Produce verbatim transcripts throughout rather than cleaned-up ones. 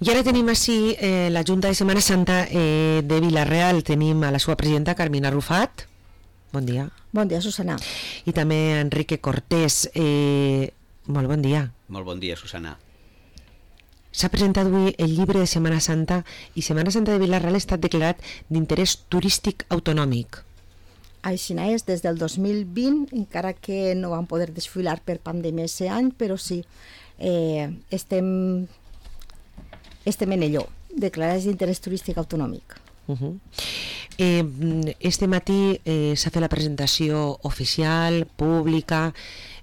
I ara tenim així eh, la Junta de Setmana Santa eh, de Vila-real. Tenim a la seva presidenta, Carmina Rufat. Bon dia. Bon dia, Susana. I també Enrique Cortés. Eh, molt bon dia. Molt bon dia, Susana. S'ha presentat avui el llibre de Setmana Santa i Setmana Santa de Vila-real ha estat declarat d'interès turístic autonòmic. Així és, des del dos mil vint, encara que no vam poder desfilar per pandèmia aquest any, però sí, eh, estem, estem en allò, declarats d'interès turístic autonòmic. Uh -huh. eh, este matí eh, s'ha fet la presentació oficial, pública,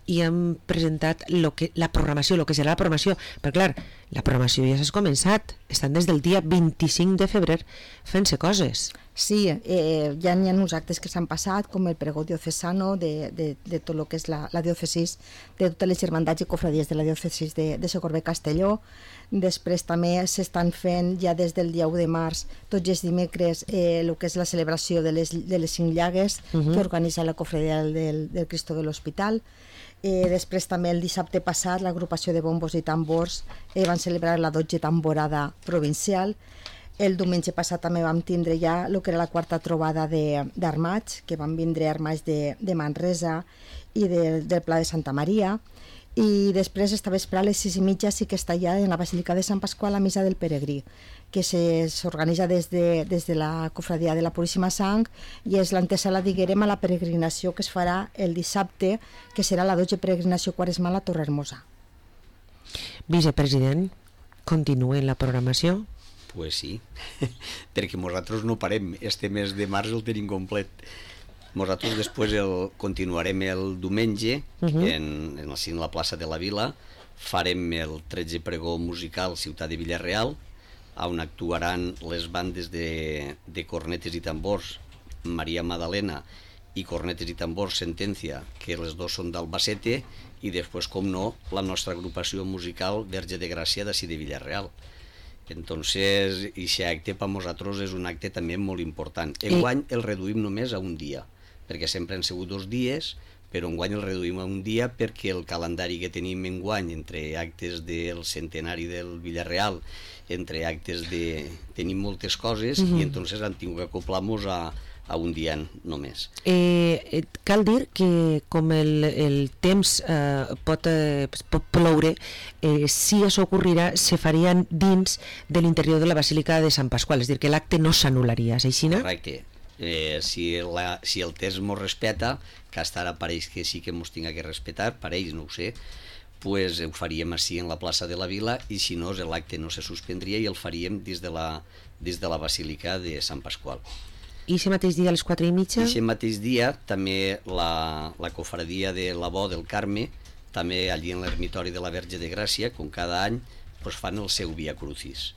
i hem presentat lo que, la programació, el que serà la programació, però clar, la programació ja s'ha començat, estan des del dia vint-i-cinc de febrer fent-se coses. Sí, eh, ja n'hi ha uns actes que s'han passat, com el pregó diocesano de, de, de tot el que és la, la diòcesis, de totes les germandats i cofradies de la diòcesis de, de Socorbe Castelló. Després també s'estan fent ja des del dia u de març, tots els dimecres, eh, el que és la celebració de les, de les cinc llagues uh -huh. que organitza la cofradia del, del Cristo de l'Hospital. Eh, després també el dissabte passat l'agrupació de bombos i tambors eh, van celebrar la dotzena tamborada provincial. El diumenge passat també vam tindre ja el que era la quarta trobada d'armats, que van vindre armats de, de Manresa i de, del Pla de Santa Maria. I després esta vespre a les sis i mitja sí que està ja en la Basílica de Sant Pasqual la Missa del Peregrí, que s'organitza des, de, des de la cofradia de la Puríssima Sang i és l'antesala, diguem, a la peregrinació que es farà el dissabte, que serà la dotzena peregrinació quaresmal a Torrehermosa. Vicepresident, continua la programació? Pues sí, perquè nosaltres no parem, este mes de març el tenim complet. Nosaltres després el, continuarem el diumenge uh -huh. en, en, en la plaça de la Vila, farem el tretze pregó musical Ciutat de Vila-real, on actuaran les bandes de, de cornetes i tambors Maria Madalena i cornetes i tambors Sentencia, que les dos són d'Albacete, i després, com no, la nostra agrupació musical Verge de Gràcia d'ací de Vila-real. Entonces, aquest acte per nosaltres és un acte també molt important. Enguany el reduïm només a un dia, perquè sempre han sigut dos dies, però enguany el reduïm a un dia perquè el calendari que tenim enguany entre actes del centenari del Vila-real, entre actes de... tenim moltes coses, uh-huh. i entonces han tingut que acoplar-nos a, a un dia només. Eh, cal dir que com el, el temps eh, pot, eh, pot ploure, eh, si això ocorrirà, se farien dins de l'interior de la Basílica de Sant Pasqual, és a dir, que l'acte no s'anul·laria, és així, no? Correcte. Eh, si, la, si el temps mos respeta, que hasta ara pareix que sí que mos tinga que respetar, pareix, no ho sé, pues ho faríem així en la plaça de la Vila, i si no, l'acte no se suspendria i el faríem des de la, des de la Basílica de Sant Pasqual. I aquest mateix dia a les quatre i mitja? I aquest mateix dia també la, la cofradia de la Bo del Carme, també allí en l'ermitori de la Verge de Gràcia, com cada any, pues fan el seu Via Crucis.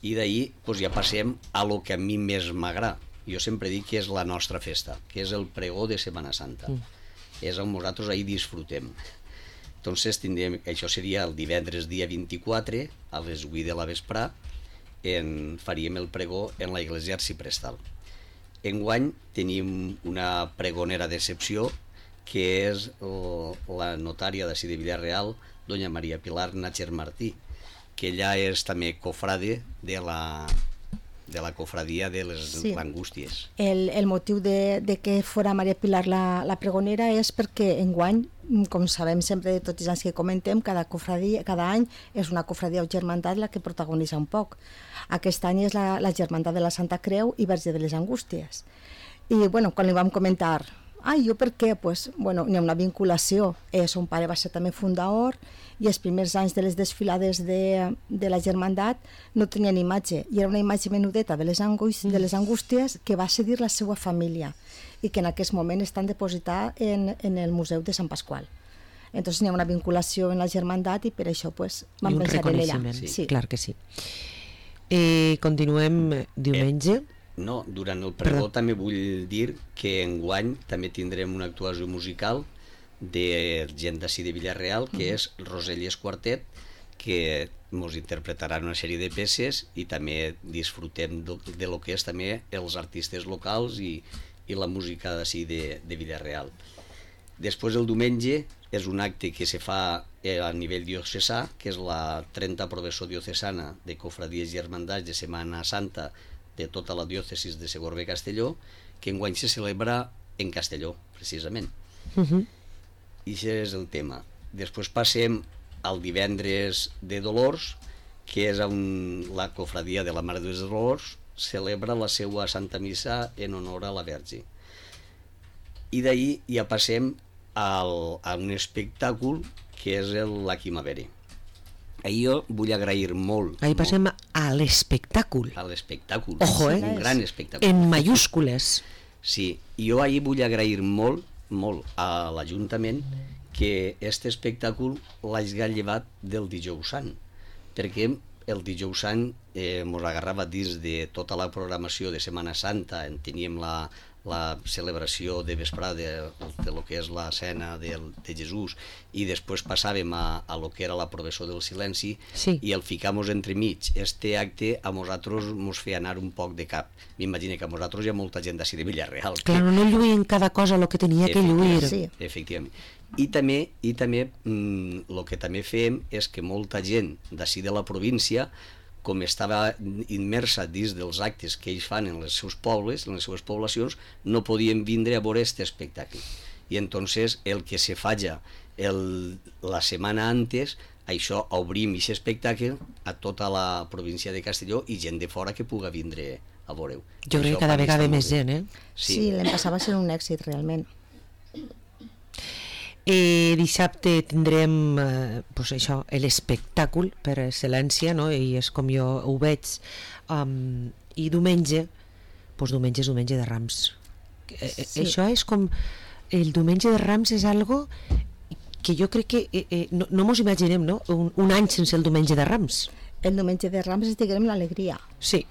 I d'ahir pues, ja passem a lo que a mi més m'agrada. Jo sempre dic que és la nostra festa, que és el pregó de Setmana Santa. Mm. És on nosaltres ahir disfrutem. Entonces, tindrem, això seria el divendres dia vint-i-quatre, a les vuit de la vesprà, en, faríem el pregó en la Iglesia Arciprestal. Enguany tenim una pregonera d'excepció, que és el, la notària d'ací de Vila-real, doña Maria Pilar Nácher Martí, que ella és també cofrade de la... de la cofradia de les sí. Angústies. El, el motiu de, de que fora Maria Pilar la, la pregonera és perquè enguany, com sabem sempre de tots els anys que comentem, cada, cofradia, cada any és una cofradia o germandat la que protagonitza un poc. Aquest any és la, la germandat de la Santa Creu i Verge de les Angústies. I bueno, quan li vam comentar, ai, jo per què? Pues, bueno, hi ha una vinculació. Eh, son pare va ser també fundador i els primers anys de les desfilades de, de la germandat no tenien imatge, i era una imatge menudeta de les, angústies, de les angústies que va cedir la seva família i que en aquest moment estan depositats en, en el Museu de Sant Pasqual. Entonces hi ha una vinculació en la germandat i per això pues, vam pensar en ella. Sí, sí. Clar que sí. Eh, continuem diumenge. Eh. No, durant el pregó també vull dir que enguany també tindrem una actuació musical de gent d'ací de Vila-real, que és Roselles Quartet, que ens interpretaran una sèrie de peces i també disfrutem de, de lo que és també els artistes locals i, i la música d'ací de, de Vila-real. Després el diumenge és un acte que se fa a nivell diocesà, que és la trenta Professó Diocesana de Cofradies i Hermandats de Setmana Santa de tota la diòcesis de Segorbe-Castelló, que enguany se celebra en Castelló, precisament. Uh -huh. I això és el tema. Després passem al divendres de Dolors, que és on la cofradia de la Mare dels Dolors celebra la seva Santa Missa en honor a la Verge. I d'ahir ja passem al, a un espectacle que és la Quimavere. Ahir jo vull agrair molt... Ahir passem molt, a l'espectacle. A l'espectacle. Ojo, eh? Un gran espectacle. En mayúscules. Sí, i jo ahir vull agrair molt, molt a l'Ajuntament que aquest espectacle l'hagi llevat del Dijous Sant, perquè el Dijous Sant eh, mos agarrava dins de tota la programació de Setmana Santa, en teníem la, la celebració de vesprada de, de lo que és la cena de, de Jesús, i després passàvem a, a lo que era la Professó del Silenci, sí. I el ficamos entremig. Este acte a nosaltres mos feia anar un poc de cap. M'imagino que a nosaltres hi ha molta gent d'ací de Villarreal. Clar, que... no lluïen cada cosa el que tenia que lluir. Sí. Efectivament. I també, i també el mm, que també fem és que molta gent d'ací de la província, com estava immersa dins dels actes que ells fan en els seus pobles, en les seues poblacions, no podien vindre a veure aquest espectacle. I entonces el que se falla el, la setmana antes, això obrim aquest espectacle a tota la província de Castelló i gent de fora que puga vindre a veure-ho. Jo crec que cada vegada més gent, eh? Sí, sí, l'any passat va ser un èxit, realment. Eh, dissabte tindrem eh, pues això, l'espectacle per excel·lència, no? I és com jo ho veig, um, i diumenge pues diumenge és diumenge de Rams. Eh, sí. Això és com el diumenge de Rams és algo que jo crec que eh, eh, no, no mos imaginem, no? Un, un any sense el diumenge de Rams. El diumenge de Rams és, diguem, l'alegria. Sí.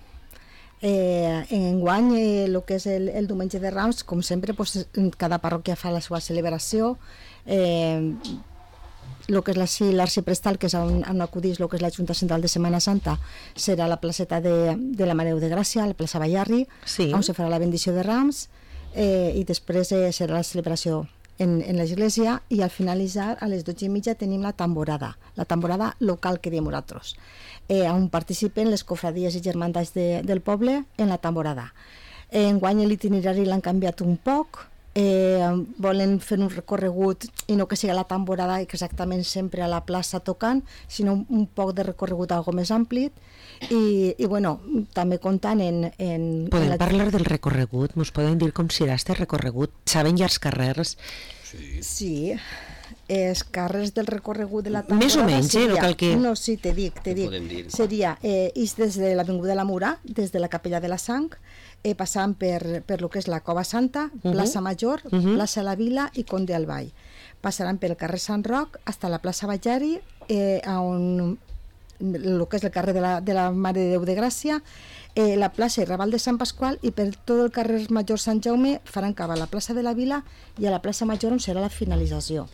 Eh, enguany eh, el que és el, el diumenge de Rams, com sempre, pues, cada parròquia fa la seva celebració. Eh, el que és l'arxiprestal, que és on, on acudís el que és la Junta Central de Setmana Santa, serà la placeta de, de la Mare de Gràcia, a la plaça Ballarri, sí. On se farà la bendició de Rams, eh, i després eh, serà la celebració en, en l'església, i al finalitzar a les dotze i mitja tenim la tamborada, la tamborada local que diem nosaltres, eh, on participen les cofradies i germandats de, del poble en la tamborada. Eh, enguany l'itinerari l'han canviat un poc, eh, volen fer un recorregut i no que sigui la tamborada exactament sempre a la plaça tocant, sinó un, un poc de recorregut algo més ampli, i, i bueno, també comptant en... en Podem en la... parlar del recorregut? Mos poden dir com serà este recorregut? Saben ja els carrers? Sí. Sí, els carrers del recorregut de la temporada... Més o menys, seria, eh? No cal que... No, sí, te dic, te dic. Seria eh, is des de l'Avinguda de la Murà, des de la Capella de la Sang, eh, passant per, per lo que és la Cova Santa, uh -huh. plaça Major, uh -huh. plaça La Vila i Conde al Vall. Passaran pel carrer Sant Roc fins a la plaça Ballarri, eh, on el que és el carrer de la, de la Mare de Déu de Gràcia, eh, la plaça i Raval de Sant Pasqual, i per tot el carrer Major Sant Jaume faran cap a la plaça de la Vila i a la plaça Major, on serà la finalització.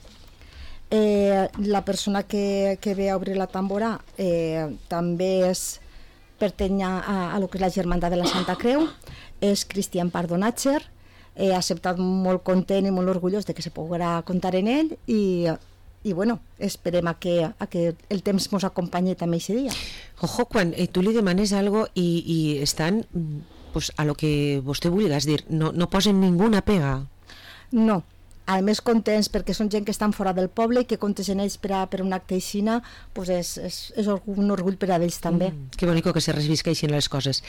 Eh, la persona que, que ve a obrir la tambora eh, també és pertany a, a lo que és la Germandat de la Santa Creu, és Cristian Pardonatger, eh, ha acceptat molt content i molt orgullós de que se podrà comptar en ell, i, i bueno, esperem a que, a que el temps ens acompanyi també aquest dia. Ojo, quan eh, tu li demanes algo i, i estan pues, a lo que vostè vulguis dir, no, no posen ninguna pega. No, a més contents perquè són gent que estan fora del poble i que comptes en ells per, a, per un acte aixina, pues és, és, és un orgull per a ells també. Mm, que bonico que se revisqueixin les coses.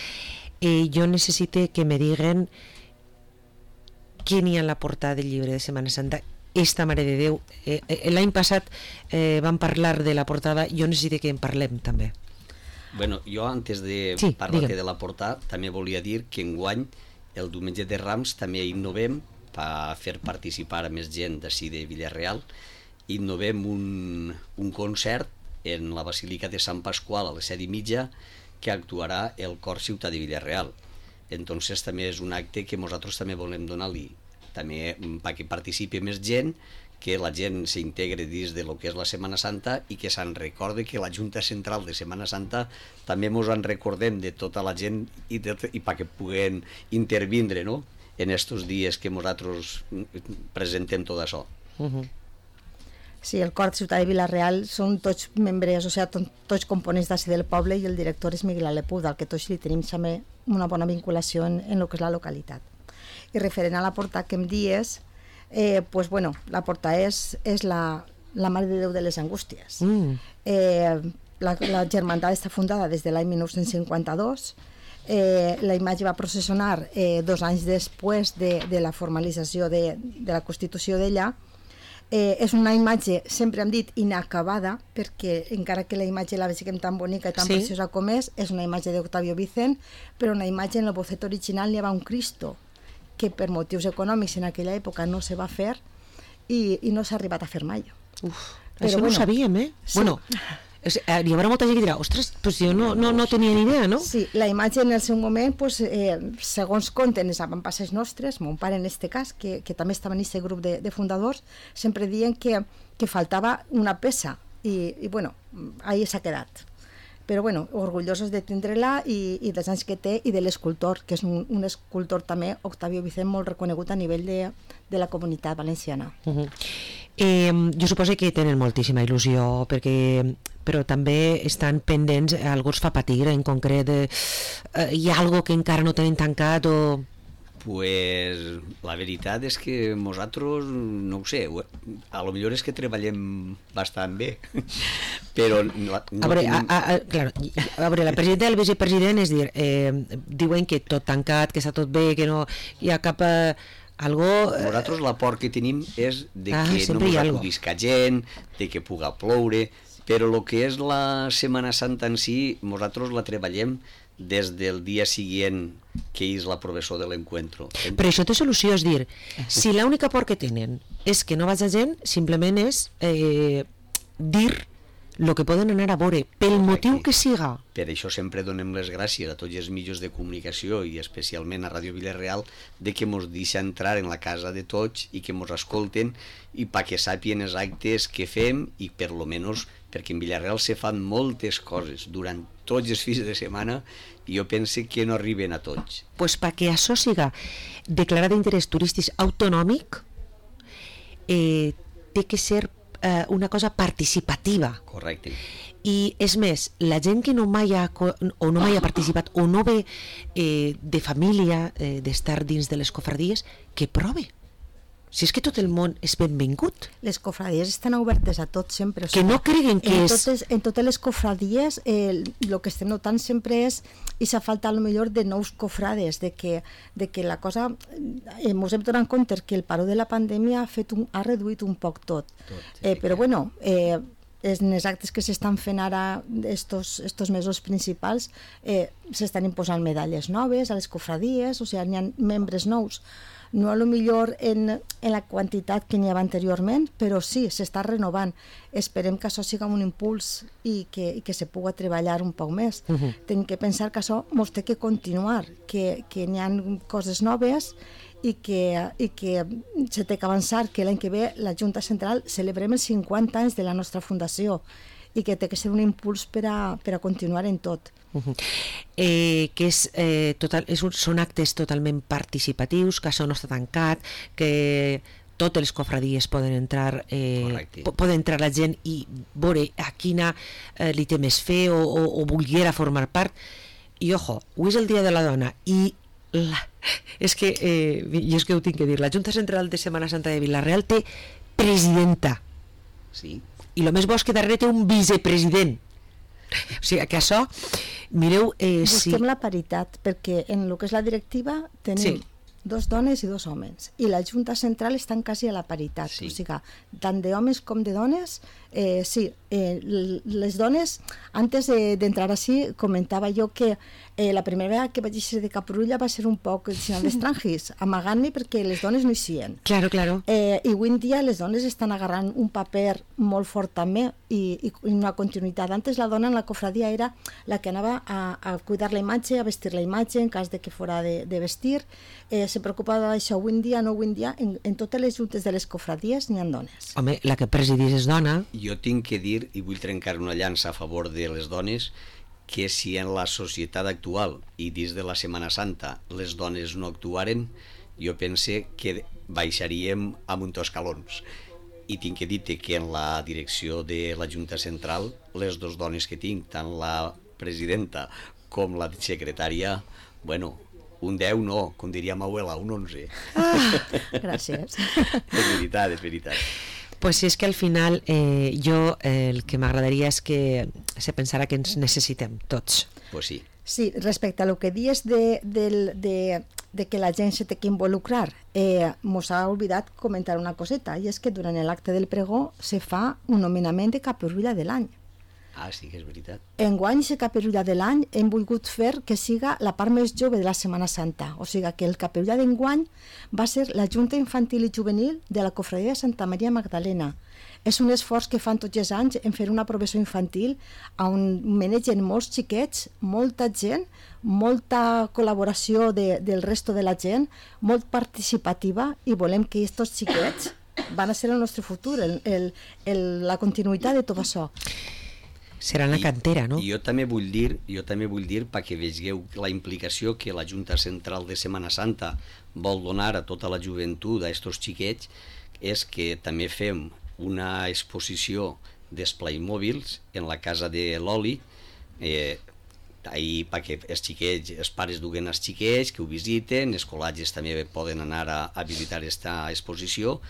Eh, jo necessite que me diguen què n'hi ha en la portada del llibre de Setmana Santa. Esta Mare de Déu, eh, eh, l'any passat eh, vam parlar de la portada, jo necessito que en parlem també. Bueno, jo antes de sí, parlar de la portada també volia dir que enguany el diumenge de Rams també innovem per fer participar a més gent d'ací de Villarreal. Innovem un, un concert en la Basílica de Sant Pasqual a les set i mitja, que actuarà el Cor Ciutat de Villarreal. Entonces també és un acte que nosaltres també volem donar-li també perquè participi més gent, que la gent s'integre dins de lo que és la Setmana Santa i que se'n recorde que la Junta Central de Setmana Santa també ens en recordem de tota la gent i, de, i perquè puguen intervindre, no?, en estos dies que nosaltres presentem tot això. Uh-huh. Sí, el cor de Ciutat de Vila-real són tots membres, o sigui, to- tots components d'ací del poble, i el director és Miguel Alepuda, al que tots li tenim també una bona vinculació en, en el que és la localitat. I referent a la porta que em dies, eh, pues bueno, la porta és, és la, la Mare de Déu de les Angústies. Mm. Eh, la, la germandat està fundada des de l'any dinou cinquanta-dos. Eh, la imatge va processionar eh, dos anys després de, de la formalització de, de la Constitució d'ella. Eh, és una imatge, sempre hem dit, inacabada, perquè encara que la imatge la veiem tan bonica i tan Sí. preciosa com és, és una imatge d'Octavio Vicent, però una imatge en el bocet original hi havia un Cristo que per motius econòmics en aquella època no se va fer i, i no s'ha arribat a fer mai. Uf, Però això no bueno, ho sabíem, eh? sí. Bueno, és, eh, hi haurà molta gent que dirà, ostres, pues jo no, no, no tenia ni idea, no? Sí, la imatge en el seu moment, pues, eh, segons conten els avantpasses nostres, mon pare en este cas, que, que també estava en aquest grup de, de fundadors, sempre diuen que, que faltava una peça i, i bueno, ahí s'ha quedat. Però bueno, orgullosos de tindre-la i, i dels anys que té i de l'escultor, que és un, un escultor també, Octavio Vicent, molt reconegut a nivell de, de la comunitat valenciana. Uh -huh. eh, jo suposo que tenen moltíssima il·lusió, perquè però també estan pendents, algú els fa patir en concret, eh, hi ha algo que encara no tenen tancat o... Pues la veritat és que nosaltres, no ho sé, a lo millor és que treballem bastant bé, però no, no A veure, tenim... a, a, claro, a veure, la presidenta i el vicepresident és dir, eh, diuen que tot tancat, que està tot bé, que no hi ha cap... Eh, algo... Eh, Nosaltres la por que tenim és de Ah, que no sempre hi ens ha algo. acudisca gent, de que puga ploure, però el que és la Setmana Santa en si, nosaltres la treballem des del dia següent que és la professor de l'encuentro. Però això té solució, és dir, si l'única por que tenen és que no vaja gent, simplement és eh, dir el que poden anar a veure, pel motiu que siga. Per això sempre donem les gràcies a tots els mitjans de comunicació i especialment a Ràdio Vila-real de que mos deixa entrar en la casa de tots i que mos escolten i perquè sàpien els actes que fem i per lo menos perquè en Vila-real se fan moltes coses durant tots els fins de setmana i jo penso que no arriben a tots. Pues perquè això siga declarat d'interès turístic autonòmic, eh, té que ser eh, una cosa participativa. Correcte. I és més, la gent que no mai ha, o no mai ha participat o no ve eh, de família, eh, d'estar dins de les cofradies, que prove. Si és que tot el món és benvingut. Les cofradies estan obertes a tots sempre. O Que no creguen que en és... Totes, en totes les cofradies el eh, que estem notant sempre és i s'ha falta a lo millor de nous cofrades, de que, de que la cosa... Eh, mos hem donat compte que el paró de la pandèmia ha, fet un, ha reduït un poc tot. tot eh, però bueno... Eh, en els actes que s'estan fent ara estos, estos mesos principals eh, s'estan imposant medalles noves a les cofradies, o sigui, hi ha membres nous, no a lo millor en, en la quantitat que n'hi havia anteriorment, però sí, s'està renovant. Esperem que això siga un impuls i que, i que se pugui treballar un poc més. Uh -huh. Tenim que pensar que això ens té que continuar, que, que n'hi ha coses noves i que, i que se té que avançar, que l'any que ve la Junta Central celebrem els cinquanta anys de la nostra fundació i que té que ser un impuls per a, per a continuar en tot. Uh -huh. eh, que és, eh, total, és un, són actes totalment participatius, que això no està tancat, que totes les cofradies poden entrar, eh, po poden entrar la gent i veure a quina eh, li té més fe o, o, o volguera formar part. I ojo, avui és el Dia de la Dona i la, és que, eh, jo és que ho tinc que dir, la Junta Central de Setmana Santa de Vila-real té presidenta. Sí. I el més bo és que darrere té un vicepresident. O sigui, que això, mireu... Eh, Busquem si... la paritat, perquè en el que és la directiva tenim Sí. dos dones i dos homes, i la Junta Central estan quasi a la paritat, Sí. o sigui, tant d'homes com de dones, eh, sí, eh, les dones, antes d'entrar de, així, comentava jo que eh, la primera vegada que vaig ser de Caprulla va ser un poc el sinal d'estrangis, amagant-me perquè les dones no hi sien. Claro, claro. Eh, I avui en dia les dones estan agarrant un paper molt fort també i, i, i una continuïtat. Antes la dona en la cofradia era la que anava a, a cuidar la imatge, a vestir la imatge en cas de que fora de, de vestir. Eh, se preocupava d'això. Avui en dia, no avui en dia, en, en totes les juntes de les cofradies n'hi ha dones. Home, la que presidís és dona. Jo tinc que dir, i vull trencar una llança a favor de les dones, que si en la societat actual i dins de la Setmana Santa les dones no actuaren, jo pense que baixaríem a un escalons. i tinc que dir que en la direcció de la Junta Central, les dues dones que tinc, tant la presidenta com la secretària, bueno, un deu no, com diria ma abuela, un onze. Ah, gràcies. És veritat, és veritat. Pues sí, és que al final eh, jo eh, el que m'agradaria és que se pensara que ens necessitem tots. Pues sí. Sí, respecte a lo que dies de, de, de, de que la gent se té que involucrar, eh, mos ha oblidat comentar una coseta, i és que durant l'acte del pregó se fa un nomenament de caperulla de l'any. Ah, sí que és veritat. Enguany, la caperulla de l'any hem volgut fer que siga la part més jove de la Setmana Santa, o sigui que el caperulla d'enguany va ser la Junta Infantil i Juvenil de la Cofradia de Santa Maria Magdalena. És un esforç que fan tots els anys en fer una professió infantil on manegen molts xiquets, molta gent, molta col·laboració de, del resto de la gent, molt participativa, i volem que aquests xiquets van a ser el nostre futur, el, el, el, la continuïtat de tot això. Serà en la cantera, no? I jo també vull dir, jo també vull dir perquè vegeu la implicació que la Junta Central de Setmana Santa vol donar a tota la joventut, a estos xiquets, és que també fem una exposició d'esplai mòbils en la casa de l'Oli, eh, ahir perquè els xiquets, els pares duguen els xiquets que ho visiten, els col·legis també poden anar a, a visitar aquesta exposició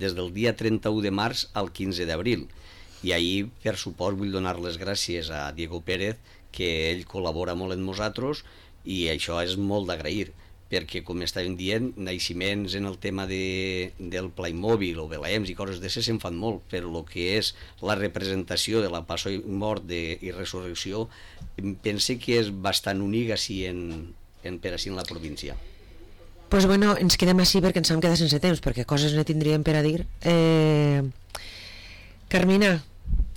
des del dia trenta-u de març al quinze d'abril. I ahir, per suport, vull donar les gràcies a Diego Pérez, que ell col·labora molt amb nosaltres, i això és molt d'agrair, perquè, com estàvem dient, naixements en el tema de, del Playmobil o Belems i coses d'això se'n fan molt, però el que és la representació de la passió i mort de, i resurrecció, pense que és bastant únic així en, en, per així en la província. Pues bueno, ens quedem així perquè ens hem quedat sense temps, perquè coses ne tindríem per a dir. Eh... Carmina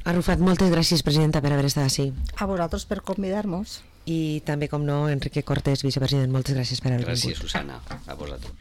Arrufat, moltes gràcies, presidenta, per haver estat així. A vosaltres per convidar-nos. I també, com no, Enrique Cortés, vicepresident, moltes gràcies per haver vingut. Gràcies, Susana, a vosaltres.